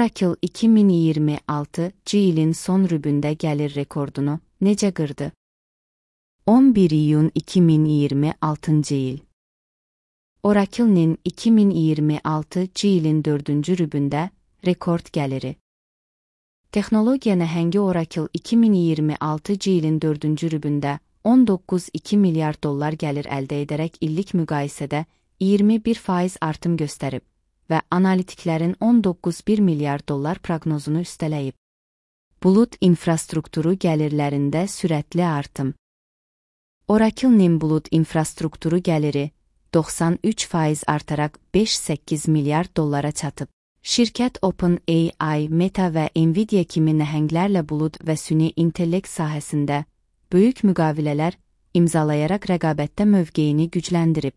Oracle 2026 ilin son rübündə gəlir rekordunu necə qırdı? 11 iyun 2026 il. Oracle'nin 2026 ilin 4-cü rübündə rekord gəliri. Texnologiya nəhəngi Oracle 2026 ilin 4-cü rübündə 19,2 milyard dollar gəlir əldə edərək illik müqayisədə 21% artım göstərib və analitiklərin 19,1 milyard dollar proqnozunu üstələyib. Bulut infrastrukturu gəlirlərində sürətli artım. Oracle'nin bulut infrastrukturu gəliri 93% artaraq 5,8 milyard dollara çatıb. Şirkət OpenAI, Meta və Nvidia kimi nəhənglərlə bulut və süni intellekt sahəsində böyük müqavilələr imzalayaraq rəqabətdə mövqeyini gücləndirib.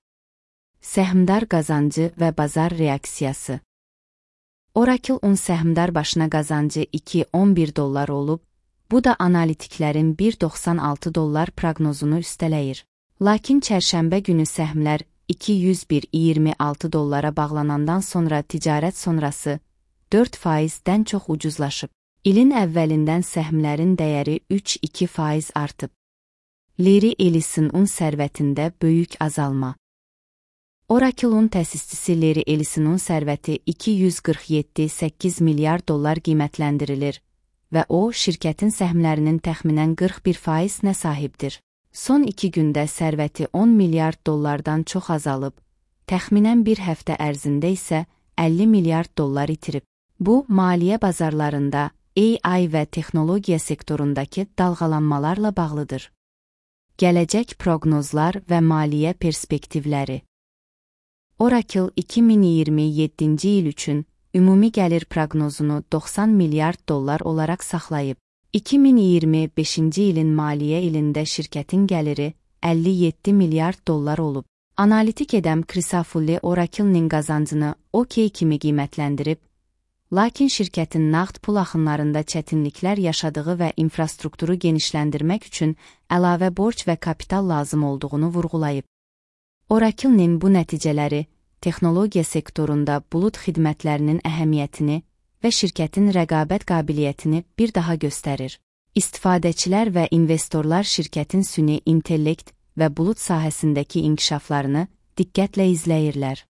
Səhmdar qazancı və bazar reaksiyası. Oracle-un səhmdar başına qazancı $2.11 olub, bu da analitiklərin $1.96 proqnozunu üstələyir. Lakin çərşənbə günü səhmlər $201.26 bağlanandan sonra ticarət sonrası 4%-dən çox ucuzlaşıb. İlin əvvəlindən səhmlərin dəyəri 3,2% artıb. Larry Ellison'un sərvətində böyük azalma. Oracle'un təsisçisi Larry Ellison'un sərvəti $247,8 milyard qiymətləndirilir və o, şirkətin səhmlərinin təxminən 41%-nə sahibdir. Son 2 gündə sərvəti $10 milyard çox azalıb, təxminən bir həftə ərzində isə $50 milyard itirib. Bu, maliyyə bazarlarında AI və texnologiya sektorundakı dalğalanmalarla bağlıdır. Gələcək proqnozlar və maliyyə perspektivləri. Oracle 2027 il üçün ümumi gəlir proqnozunu $90 milyard olaraq saxlayıb. 2025 ilin maliyyə ilində şirkətin gəliri $57 milyard olub. Analitik edəm Crisafulli Oracle'nin qazancını OK kimi qiymətləndirib, lakin şirkətin nağd pul axınlarında çətinliklər yaşadığı və infrastrukturu genişləndirmək üçün əlavə borc və kapital lazım olduğunu vurğulayıb. Oracle'nin bu nəticələri texnologiya sektorunda bulut xidmətlərinin əhəmiyyətini və şirkətin rəqabət qabiliyyətini bir daha göstərir. İstifadəçilər və investorlar şirkətin süni intellekt və bulut sahəsindəki inkişaflarını diqqətlə izləyirlər.